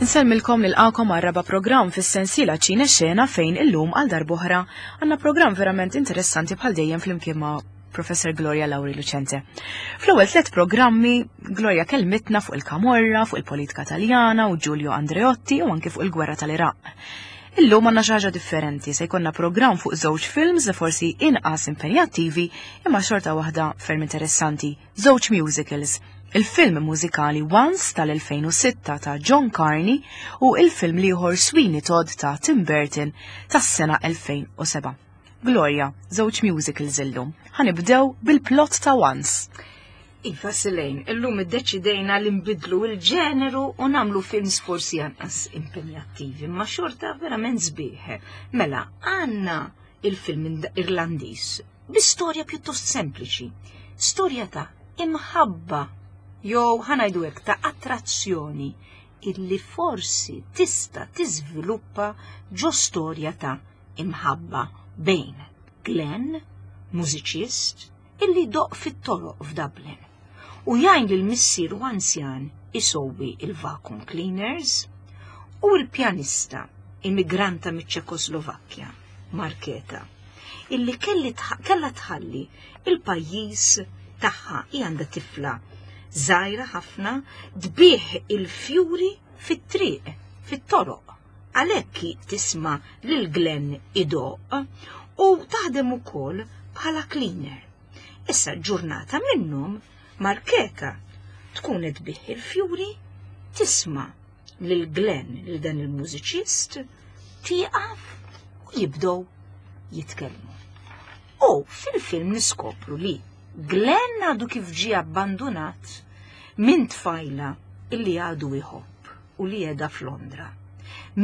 Insellmilkom nilqakom għal raba' programm fis-sensiela Ċine Xena fejn illum għal darb'oħra għandna programm verament interessanti bħal dejjem flimkien ma' Professor Gloria Lauri Lucente. Fl-ewwel tliet programmi Gloria kelmitna fuq il-Kamorra, fuq il-politika Taljana u Giulio Andreotti u anki fuq il-gwerra tal-Iraq. Illum għandna xi ħaġa differenti, se jkollna programm fuq żewġ films li forsi inqas impenjattivi imma xorta waħda ferm interessanti, żewġ musicals. Il-film mużikali Once tal-2006 ta' John Carney u il-film liħor Sweeney Todd ta' Tim Burton tas-sena 2007. Gloria, żewġ musicals illum. Ħanibdew bil-plot ta' Once. Iva Silejn, illum iddeċidejna li nbidlu il-ġeneru u nagħmlu films forsi anqas impenjattivi, ma xorta verament sbieħ. Mela, għandna il-film Irlandiż bi storja pjuttost sempliċi. Storja ta' imħabba jew ħanajdu hekk ta' attrazzjoni illi forsi tista' tiżviluppa ġo storja ta' imħabba bejn Glenn, mużiċist, illi jdoqq fit-toroq f'Dublin u jgħin lil missieru anzjan isowwi il-vacuum cleaners, u l-pjanista immigranta miċ-Ċekoslovakkja, Marketa, illi kellha tħalli il-pajjiż tagħha hi għandha tifla żgħira ħafna tbigħ il-fjuri fit-triq, fit-toroq. Għalhekk hi tisma' lil Glenn idoqq u taħdem ukoll bħala cleaner. Issa ġurnata minnhom Marketa tkun qed tbigħ il-fjuri, tisma' lil Glenn lil dan il-mużiċist, tieqaf u jibdew jitkellmu. U fil-film niskopru li Glenn għadu kif ġie abbandunat minn tfajla illi għadu jħobb u li qiegħda f'Londra.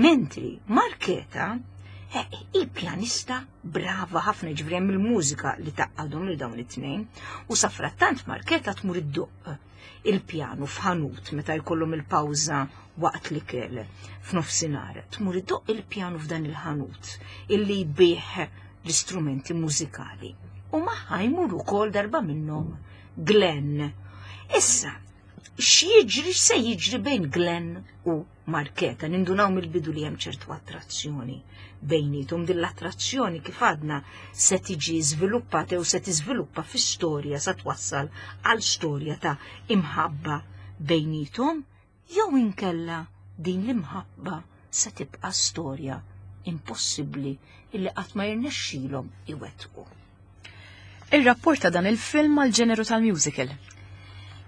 Mentri Marketa eh, hi pjanista brava ħafna ġifieri hemm il-mużika li taqqadhom lil dawn it-tnejn u safrattant Marketa tmur iddoqq il-pjanu f'ħanut meta jkollhom il-pawża waqt l-ikel f'nofsinhar. Tmur iddoqq il-pjanu f'dan il-ħanut illi jbih l-istrumenti mużikali. U magħha jmur ukoll darba minnhom Glenn. Issa, x'jiġri x'se jiġri bejn Glenn u Marketa, nindunaw mill-bidu li hemm ċertu attrazzjoni bejnietom. Din l-attrazzjoni kif għadna se tiġi żviluppata jew se tiżviluppa fi storja sa twassal għal storja ta' imħabba bejnietom jew inkella din l-imħabba se tibqa' storja impossibbli illi qatt ma jirnexxilhom iwettqu. Ir-rapport ta' dan il-film mal-ġeneru tal-musical.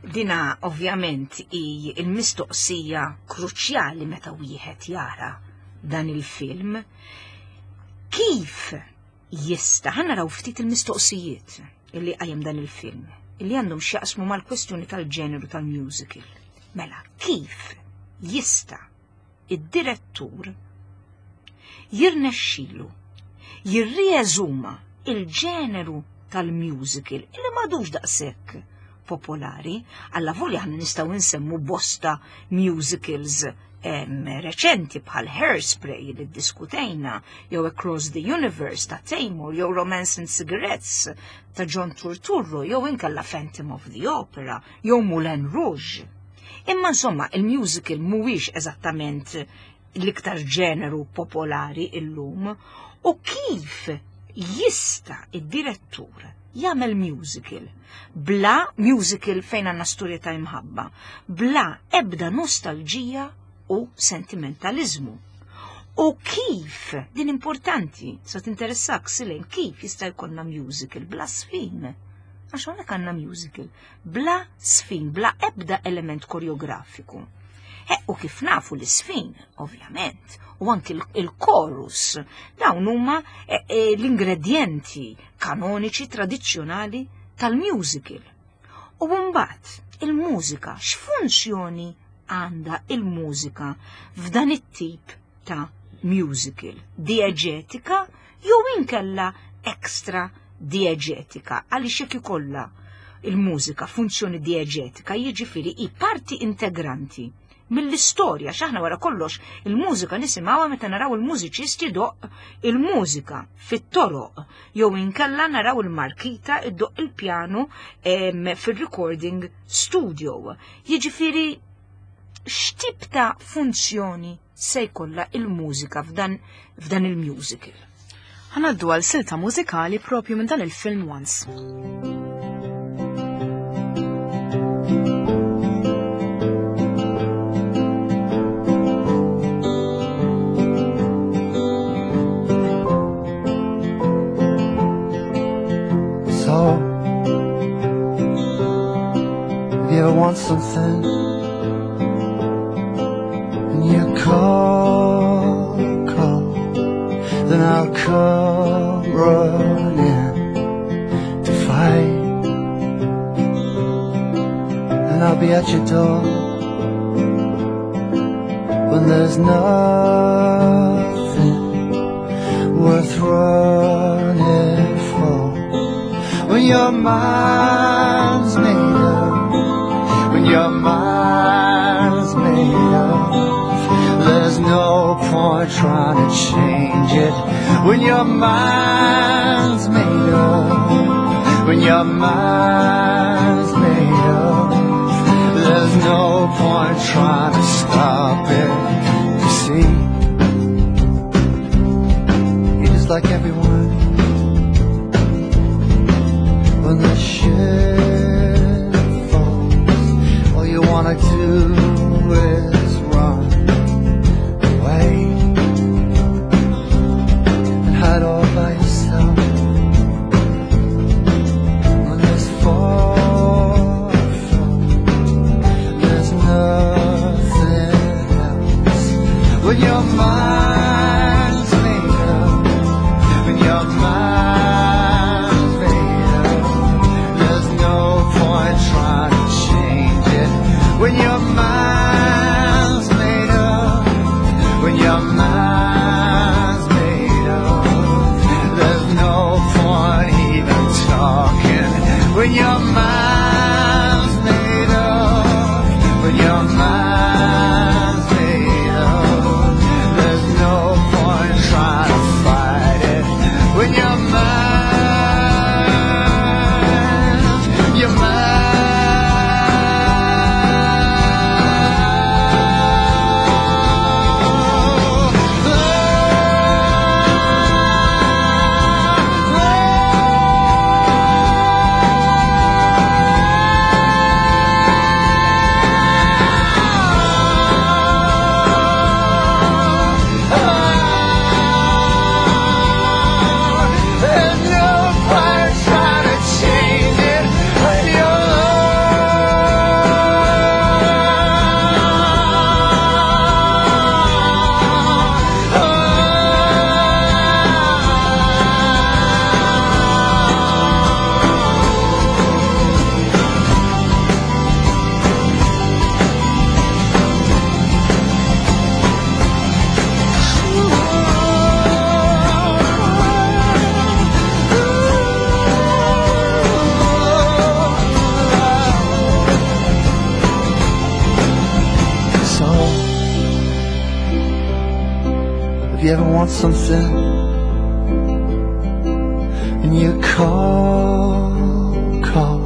Dina ovvjament hi l-mistoqsija kruċjali meta wieħed jara dan il-film. Kif jista' ħa naraw ftit il-mistoqsijiet illi qajjem dan il-film illi għandhom x'jaqsmu mal-kwestjoni tal-ġeneru tal-musical. Mela, kif jista' id-direttur jirnexxilu jirrieżuma il-ġeneru tal-musical illi m'għadux daqshekk popolari, alla volja aħna nistgħu nsemmu bosta musicals reċenti bħal Hairspray li ddiskutejna, jew Across the Universe ta' Taymor, jew Romance and Cigarettes ta' John Turturro, jew inkella Phantom of the Opera, jew Moulin Rouge. Imma insomma, il-musical mhuwiex eżattament l-iktar ġeneru popolari illum u kif jista' id-direttur jagħmel musical bla musical fejn għandna storja ta' imħabba, bla ebda nostalġija u sentimentalizmu. U kif, din importanti, sa tinteressak silejn, kif jista' jkollna musical bla sfin? Għax hawnhekk għandna musical bla sfin, bla ebda element koreografiku. E, u kif nafu l-isfin, ovvjament, u anki il-chorus, dawn huma e, e, l-ingredjenti kanoniċi tradizzjonali tal-musical. U mbagħad il-mużika, x'funzjoni għandha il-mużika f'dan it-tip ta' musical? Dieġetika jew inkella extra dieġetika għaliex jekk ikollha il-mużika funzjoni dieġetika jiġifieri hi parti integranti mill-istorja x'aħna wara kollox il-mużika nisimgħuha meta naraw il-mużiċist idoqq il-mużika fit-toroq jew inkella naraw il-markita iddoqq il-pjanu fir-recording studio. Jiġifieri. x'tip ta' funzjoni se jkollha il-mużika f'dan f'dan il-musical. Ħa ngħaddu għal silta mużikali propju minn dan il-film Once. So, if you ever want something and you call, call, then I'll come running to fight. And I'll be at your door when there's nothing worth running for. When your mind's made up, when your mind's made up, there's no point trying to change it. When your mind's made up, when your mind's made up, there's no point trying to stop it. You see, you're just like everyone. When the ship falls, all you wanna do is run away and hide all by yourself. When there's far from, there's nothing else. When your mind's made up, when your mind's made up, there's no point trying to change it. When your mind's made up, when your mind's made up, there's no point even talking. When your mind's made up, when your mind's made up, there's no point trying to fight it. When your mind's, your There's no point trying to change it when you're So, if you ever want something and you call, call,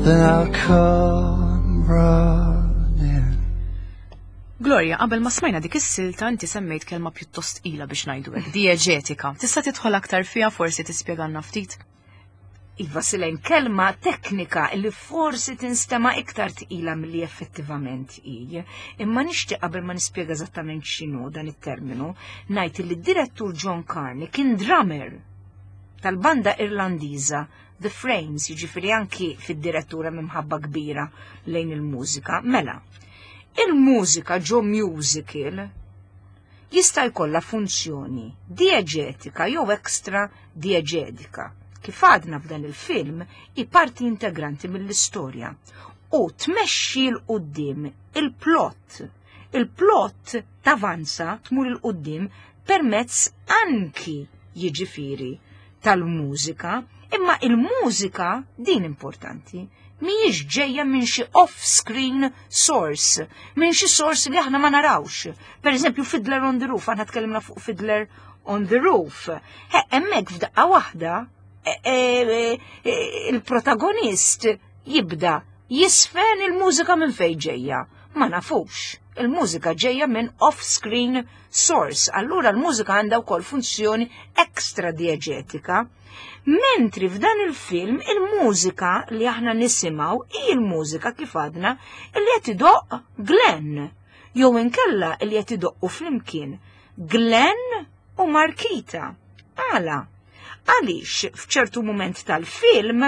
then I'll come running. Gloria, qabel ma smajna dik is-silta inti semmejt kelma pjuttost tqila biex ngħidu hekk, dieġetika. Tista' tidħol aktar fiha forsi tispjegalna ftit? Iva Silen, kelma teknika li forsi tinstema iktar tqila milli effettivament hi. Imma nixtieq qabel ma nispjega eżattament x'inhu dan it-terminu, ngħid li d-direttur John Carney kien drummer tal-banda Irlandiża The Frames, jiġifieri anki fid-direttura mimħabba kbira lejn il-mużika. Mela, il-mużika ġo musical jista' jkollha funzjoni dieġetika jew extra dieġetika. Kif għadna f'dan il-film, hi parti integranti mill-istorja u tmexxi 'l quddiem il-plot. Il-plot tavanza tmur 'il quddiem permezz anki jiġifieri tal-mużika, imma il-mużika din importanti mhijiex ġejja minn xi off-screen source, minn xi source li aħna ma narawx. Per eżempju, Fiddler on the Roof, aħna tkellimna fuq Fiddler on the Roof. He, hemmhekk f'daqqa waħda il-protagonist jibda jisfen il-mużika minn fejn ġejja. Ma nafux. Il-mużika ġejja minn off-screen source, allura l-mużika għandha wkoll funzjoni extra dieġetika. Mentri f'dan il-film il-mużika li aħna nisimgħu hi l-mużika kif għadna li qed idoqq Glenn jew inkella li qed idoqqu flimkien Glenn u Markita. Għala? Għaliex f'ċertu mument tal-film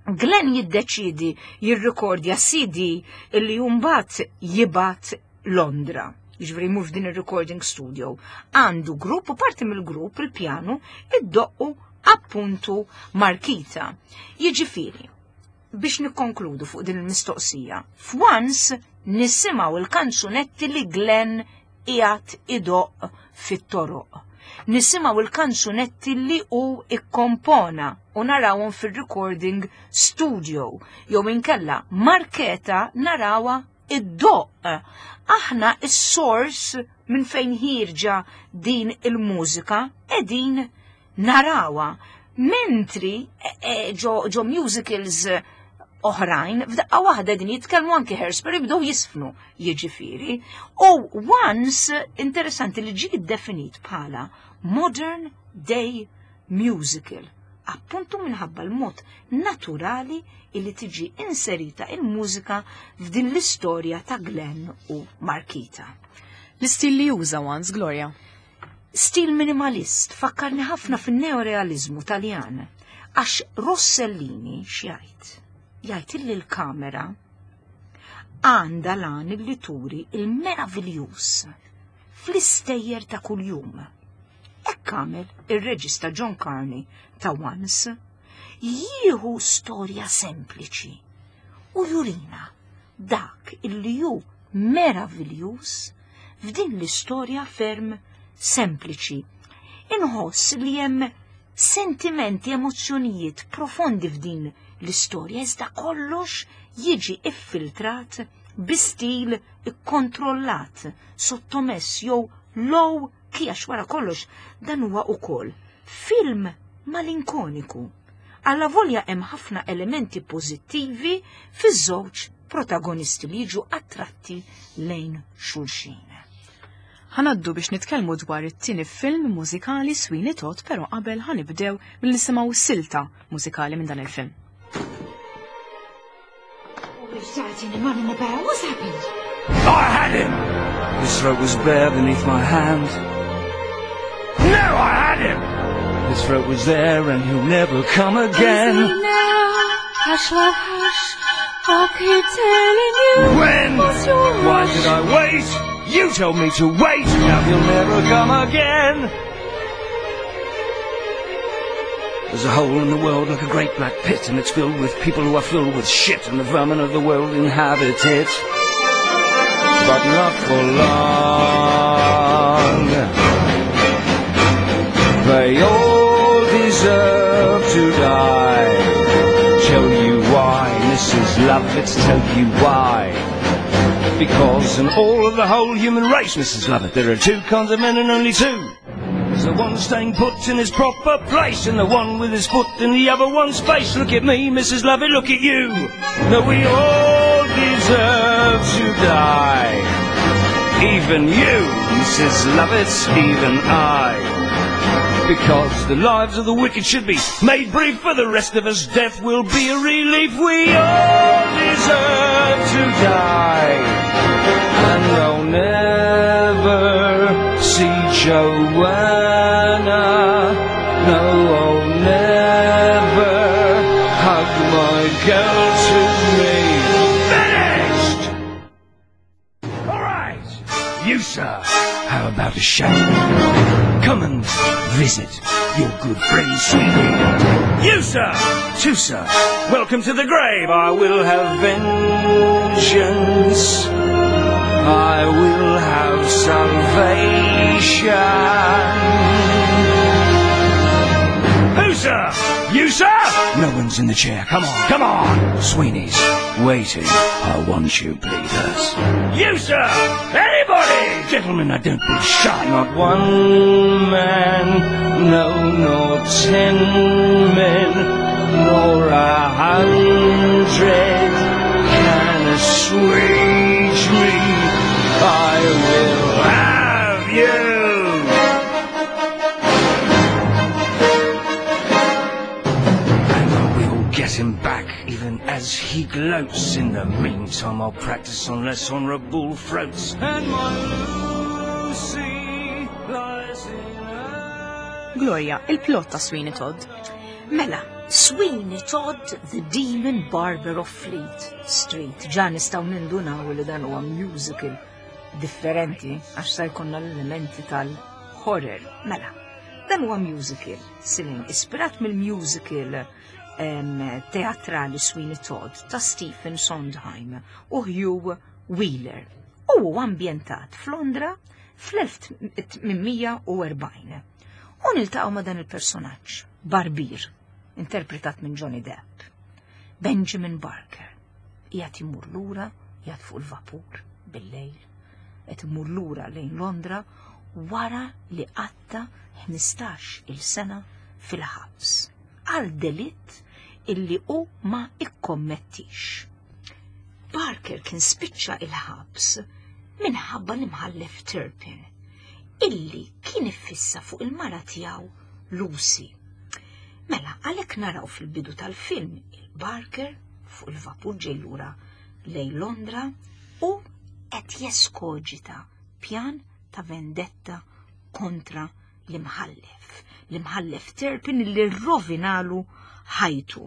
Glenn jiddeċidi jirrikordja CD illi mbagħad jibgħat Londra. Jiġifieri jmur f'din ir-recording studio. Għandu grupp u parti mill-grupp il-pjanu iddoqqu appuntu Markita. Jiġifieri, biex nikkonkludu fuq din il-mistoqsija, f'Once nisimgħu il-kanzunetti li Glenn qiegħed idoqq fit-toroq. Nisimgħu il-kanzunetti li hu ikkompona u narawhom fir-recording studio jew inkella Marketa narawha iddoqq. Aħna is-source minn fejn ħierġa din il-mużika qegħdin narawha. Mentri e, e, ġo, ġo musicals oħrajn, f'daqqa waħda din jitkellmu anki Hairspray jibdew jisfnu, jiġifieri. U once interessanti li ġie definit bħala modern day musical, appuntu minħabba l-mod naturali illi tiġi inserita il-mużika f'din l-istorja ta' Glenn u Markita. L-istil li juża Once, Gloria? Stil minimalist fakkarni ħafna fin-neorealizmu Taljan. Għax Rossellini x'jgħid? Jgħid illi l-kamera għandha lan illi turi il-meraviljuż fl-istejjer ta' kuljum. Hekk għamel ir-reġista John Carney ta' Once, jieħu storja sempliċi u jurina dak illi hu meraviljuż f'din l-istorja ferm sempliċi. Inħoss li hemm sentimenti, emozzjonijiet profondi f'din l-istorja, iżda kollox jiġi iffiltrat bi stil ikkontrollat, sottomess jew low key għax wara kollox dan huwa ukoll film malinkoniku. Allavolja hemm ħafna elementi pożittivi fiż-żewġ protagonisti li jiġu attratti lejn xulxin. Ħa ngħaddu biex nitkellmu dwar it-tieni film mużikali Sweeney Todd, però qabel ħa nibdew billi nisimgħu silta mużikali minn dan il-film. We've started him running about. What's happened? I had him! His throat was bare beneath my hand. No, I had him! His throat was there and he'll never come again. Now, hush, love, hush. I keep telling you. When? What's your Why rush? did I wait? You told me to wait. Now he'll never come again. There's a hole in the world like a great black pit, and it's filled with people who are filled with shit, and the vermin of the world inhabit it. But not for long. They all deserve to die. Tell you why, Mrs. Lovett, tell you why. Because in all of the whole human race, Mrs. Lovett, there are two kinds of men and only two. There's the one staying put in his proper place, and the one with his foot in the other one's face. Look at me, Mrs. Lovett, look at you. No, we all deserve to die. Even you, Mrs. Lovett, even I. Because the lives of the wicked should be made brief, for the rest of us death will be a relief. We all deserve to die. And I'll never see Joanna. No, I'll never hug my girl to me. Finished! All right! You, sir, how about a shave? Come and visit your good friend Sweeney. You, sir, too, sir, welcome to the grave. I will have vengeance. I will have salvation. Who, sir? You, sir? No one's in the chair. Come on, come on. Sweeney's waiting. I want you, bleeders. You, sir! Anybody! Gentlemen, I don't be shy. Not one man, no, nor 10 men, nor 100 can assuage gloats. In the meantime, I'll practice on less honourable throats. And my Lucy lies in her... Gloria, il-plot ta' Sweeney Todd. Mela, Sweeney Todd, The Demon Barber of Fleet Street. Ġa nistgħu nindunaw li dan huwa musical differenti għax sa jkollna l-elementi tal-horror. Mela, dan huwa musical, Silin, ispirat mill-musical teatrali Sweeney Todd ta' Stephen Sondheim u Hugh Wheeler. U huwa ambjentat f'Londra fl-1840. U niltaqgħu ma' dan il-personaġġ, Barbier, interpretat minn Johnny Depp. Benjamin Barker, qiegħed imur lura, qiegħed fuq il-vapur bil-lejl, qed imur lura lejn Londra wara li qatta 15 il sena fil-ħabs għal delitt illi hu ma ikkommettix. Barker kien spiċċa il-ħabs minħabba l-imħallef Turpin, illi kien iffissa fuq il-mara tiegħu Lucy. Mela, għalhekk naraw fil-bidu tal-film il-Barker fuq il-vapur ġej lura lejn Londra u qed jeskoġita pjan ta' vendetta kontra l-imħallef. L-imħallef Turpin li rrovinalu ħajtu.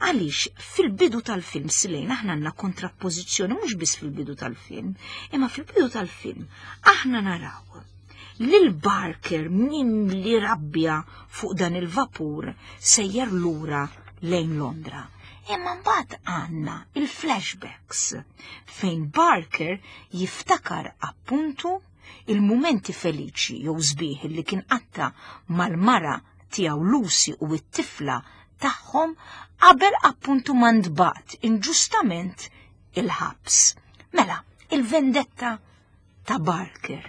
Għaliex fil-bidu tal-film Silejn aħna għandna kontrappożizzjoni mhux biss fil-bidu tal-film, imma fil-bidu tal-film aħna naraw lil Barker mimli rabbja fuq dan il-vapur sejjer lura lejn Londra. Imma mbagħad għandna il-flashbacks fejn Barker jiftakar appuntu il-mumenti feliċi jew sbieħ li kien qatta mal-mara tiegħu Lucy u t-tifla tagħhom qabel appuntu ma ntbagħat inġustament il-ħabs. Mela, il-vendetta ta' Barker.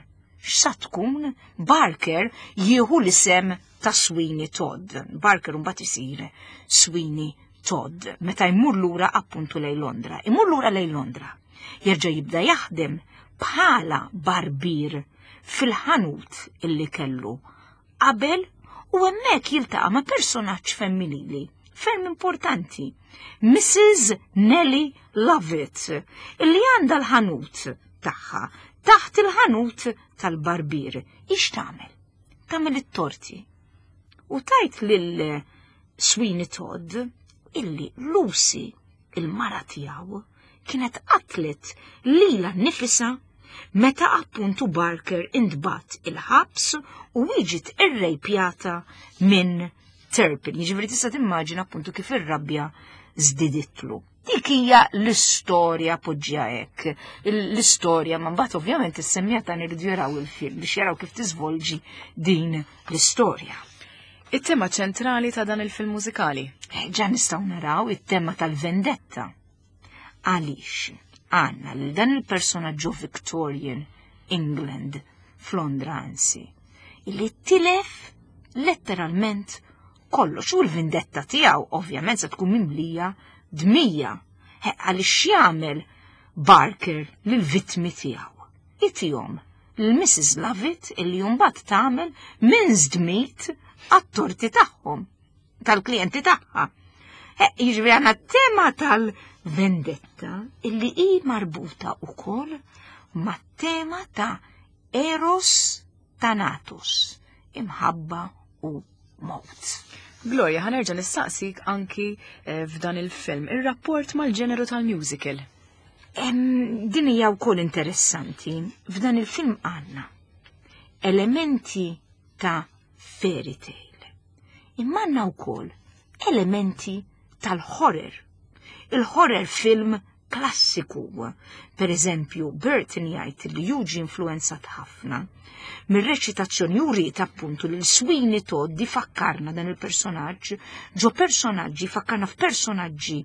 X'sa tkun? Barker jieħu l-isem ta' Sweeney Todd. Barker mbagħad isir Sweeney Todd meta jmur lura appuntu lejn Londra. Imur lura lejn Londra. Jerġa' jibda jaħdem bħala barbier fil-ħanut illi kellu qabel u hemmhekk jiltaqa' ma' personaġġ femminili ferm importanti, Mrs. Nellie Lovett, illi għandha l-ħanut tagħha taħt il-ħanut tal-barbier. Ix tagħmel? Tagħmel it-torti. U tajt lil Sweeney Todd illi Lucy, il-mara tiegħu, kienet qatlet lilha nnifisha meta appuntu Barker intbagħat il-ħabs u ġiet irrejpjata minn Turpin. Jiġifieri tista' timmaġina appuntu kif ir-rabja żdiditlu. Dik hija l-istorja poġġija hekk. L-istorja ma mbagħad ovvjament is-semmija ta' iridu jaraw il-film biex jaraw kif tiżvolġi din l-istorja. It-tema ċentrali ta' dan il-film mużikali. Ġa nistgħu naraw it-tema tal-vendetta. Għaliex għandna lil dan il-personaġġu Victorian England f'Londra anzi, illi tilef letteralment kollox u l-vendetta tiegħu ovvjament se tkun mimlija dmija. Għaliex jagħmel Barker lill-vittmi tiegħu. Itihom lil Mrs. Lovett illi mbagħad tagħmel minced meat għat-torti tagħhom, tal-klijenti tagħha. Jiġifieri għandna tema tal-vendetta illi hi marbuta wkoll mat-tema ta' Eros Thanatos, imħabba u mowt. Gloria, ħa nerġa' nistaqsik anki f'dan il-film, ir-rapport mal-ġeneru tal-musical. Din hija wkoll interessanti. F'dan il-film għandna elementi ta' fairy tale. Imma għandna wkoll elementi tal-horror. Il-horror film klassiku. Per eżempju, Burton jgħid li juġi influenzat ħafna mir-reċitazzjoni juri appuntu li Sweeney Todd fakkarna dan il-personaġġ, ġo personaġġi fakkarna f'personaġġi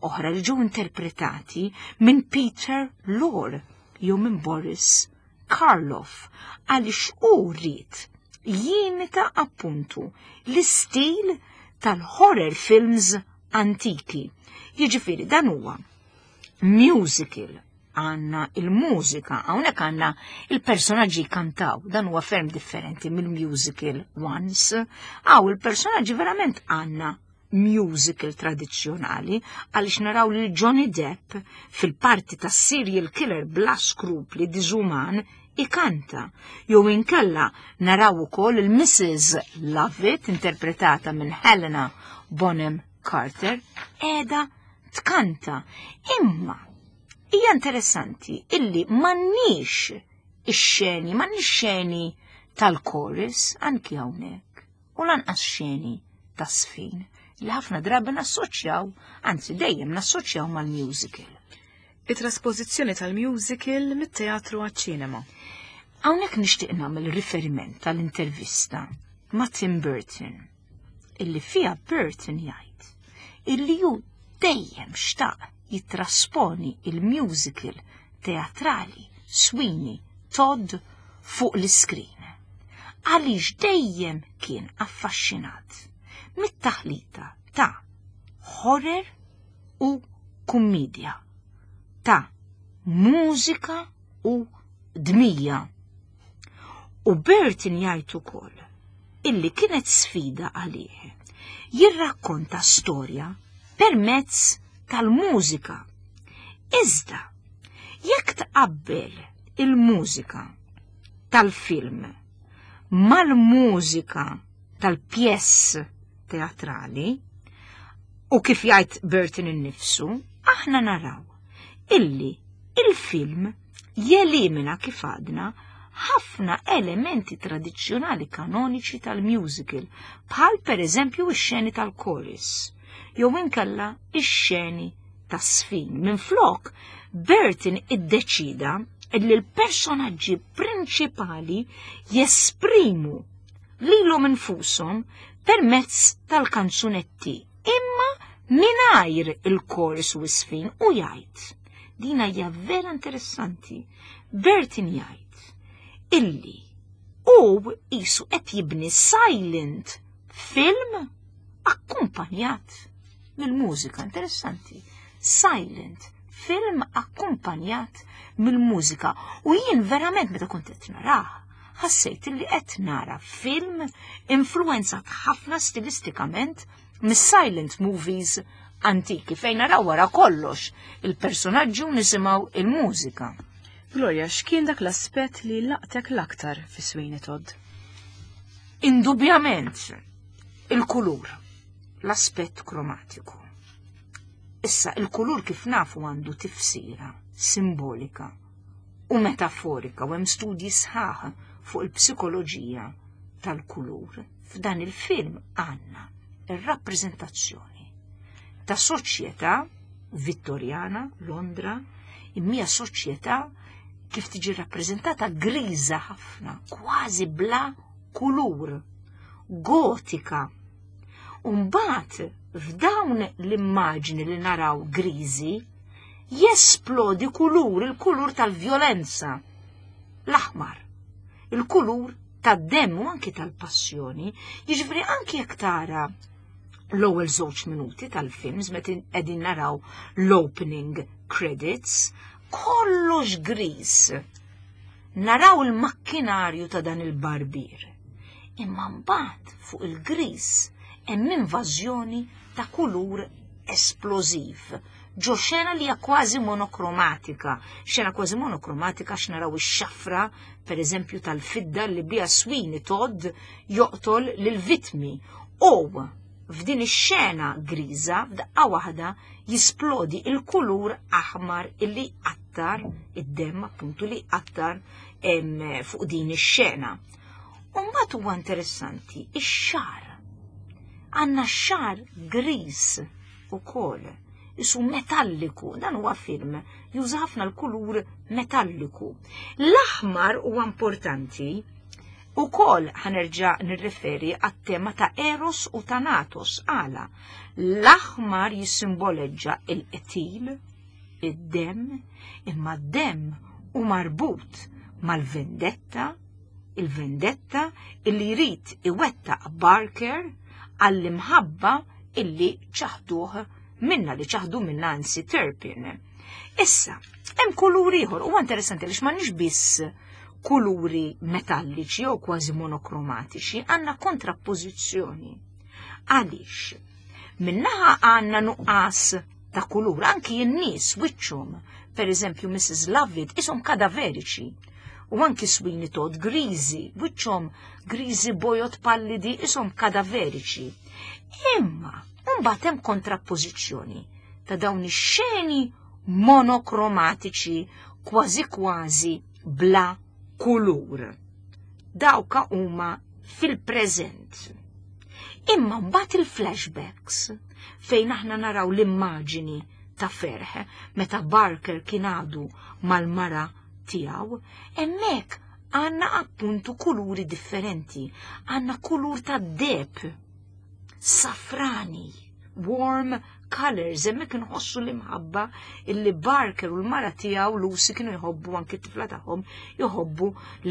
oħra li ġew interpretati minn Peter Lorre jew minn Boris Karloff, għaliex hu rrid jimita appuntu l-istil tal-horror films antiki. Jiġifieri dan huwa musical, għandna il-mużika, hawnhekk għandna il-personaġġi kantaw, dan huwa ferm differenti mill-musical once. Għaw il-personaġġi verament għandna musical tradizzjonali għaliex naraw lil Johnny Depp fil-parti ta' serial killer bla skrupli diżuman ikanta. Jew inkella naraw ukoll il-Mrs. Lovett interpretata minn Helena Bonham Carter qiegħda tkanta. Imma hija interessanti illi m'għandniex ix-xeni, m'għandniex xeni tal-chorus anki hawnhekk u lanqas xeni ta' sfin li ħafna drabi nassoċjaw, anzi dejjem nassoċjaw mal-musical. It-traspożizzjoni tal-musical mit-teatru għaċ-ċinema. Hawnhekk nixtieq nagħmel riferiment tal-intervista ma' Tim Burton illi fiha Burton jgħid illi hu dejjem xtaq jittrasponi il-musical teatrali Sweeney Todd fuq l-iskrin. Għaliex dejjem kien affaxxinat mit-taħlita ta' horror u kummedja, ta' mużika u dmija. U Burton jgħid ukoll illi kienet sfida għalih jirrakkonta storja permezz tal-mużika. Iżda, jekk tqabbel il-mużika tal-film mal-mużika tal-pjess teatrali, u kif jgħid Burton innifsu, aħna naraw illi il-film jelimina kif għadna ħafna elementi tradizzjonali kanoniċi tal-musical, bħal per eżempju ix-xeni tal-chorus, jew inkella ix-xeni tas-sfin. Minflok, Burton iddeċida li l-personaġġi prinċipali jesprimu lilhom infushom permezz tal-kanzunetti, imma mingħajr il-chorus u s-sfin u jgħid. Dina hija vera interessanti. Burton jgħid illi u qisu qed jibni silent film akkumpanjat mill-mużika. Interessanti. Silent film akkumpanjat mill-mużika. U jien verament meta kont qed narah, ħassejt li qed nara film influenzat ħafna stilistikament mis-silent movies antiki fejn naraw wara kollox il-personaġġi u nisimgħu il-mużika. Gloria, x'kien dak l-aspett li laqtek l-aktar fi Sweeney Todd? Indubjament il-kulur, l-aspett kromatiku. Issa, il-kulur kif nafu għandu tifsira simbolika u metaforika u hemm studji sħaħ fuq il-psikoloġija tal-kulur. F'dan il-film għandna ir-rappreżentazzjoni ta' soċjetà Vittorjana, Londra, imma soċjetà kif tiġi rappreżentata griża ħafna, kważi bla kulur, gotika. Umbagħad f'dawn l-immaġni li naraw griżi, jesplodi kulur, il-kulur tal-vjolenza, l-aħmar, il-kulur tad-demm u anki tal-passjoni, jiġifieri anki jekk tara l-ewwel żewġ minuti tal-films meta qegħdin naraw l-opening credits, kollox griż. Naraw il-makkinarju ta' dan il-barbier. Imma mbagħad fuq il-griż hemm invażjoni ta' kulur esplożiv. Ġo xena li hija kważi monokromatika. Xena kważi monokromatika għax naraw ix-xafra, per eżempju, tal-fidda li biha Sweeney Todd joqtol lil-vittmi. U f'din ix-xena griża f'daqqa waħda jisplodi il-kulur aħmar illi jqattar id-demm, appuntu li jqattar fuq din ix-xena. U mbagħad huwa interessanti ix-xagħar. Għandna x-xagħar griż ukoll, isu metalliku, dan huwa film juża ħafna l-kulur metalliku. L-aħmar huwa importanti ukoll, ħanerġa' nirreferi għat-tema ta' Eros u Thanatos. Għala, l-aħmar jissimboleġġa il-qtil, id-demm, imma d-demm hu marbut mal-vendetta, il-vendetta illi jrid iwettaq Barker għall-imħabba illi ċaħduh minna, li ċaħdu minna anzi Turpin. Issa, hemm kulur ieħor, huwa interessanti għaliex m'għandniex biss kuluri metalliċi jew kważi monokromatiċi, għandna kontrappożizzjoni. Għaliex? Minnaħa għandna nuqqas ta' kulur, anki n-nies wiċċhom, per eżempju Mrs. Lovett, ishom kadaveriċi. U anki Sweeney Todd griżi, wiċċhom griżi bojod pallidi, ishom kadaveriċi. Imma, mbagħad hemm kontrappożizzjoni ta' dawn ix-xeni monokromatiċi kważi kważi bla kulur. Dawka huma fil-preżent. Imma mbagħad il-flashbacks fejn aħna naraw l-immaġini ta' ferħ meta Barker kien għadu mal-mara tiegħu, hemmhekk għandna appuntu kuluri differenti, għandna kulur ta' deb, safrani, warm colors, hemmhekk inħossu l-imħabba illi Barker u l-mara tiegħu Lucy kienu jħobbu anki t-tifla tagħhom jħobbu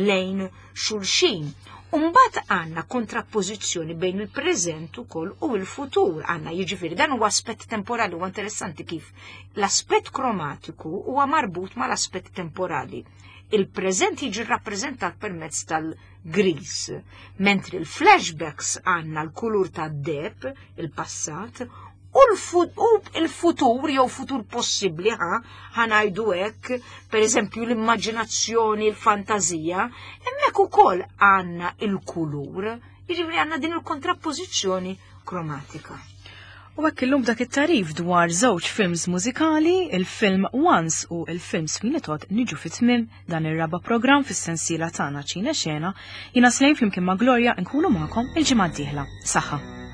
lejn xulxin. Umbat għanna kontrappożizzjoni bejn il-preżent ukoll u l-futur għanna jiġifieri dan huwa aspett temporali huwa interessanti kif l-aspett kromatiku huwa marbut mal-aspett temporali. Il-preżent jiġi rappreżentat permezz tal-gris, mentri l-flashbacks għanna l-kulur tad-deb, il-passat, u l-futur jew futur possibbli ħa ħanajdu hekk, pereżempju l-immaġinazzjoni, l-fantażija, hemmhekk ukoll għandna il-kulur, jiġifieri għandna din il-kontrappożizzjoni kromatika. U hekk illum dak it-tarif dwar żewġ films mużikali, il-film Once u il-film Sweeney Todd niġu fit-tmiem dan ir-raba' programm fis-sensiela tagħna Ċine Xena, jiena Slejn flimkien ma' Gloria nkunu magħkom il-ġimgħa d-dieħla. Saħħa.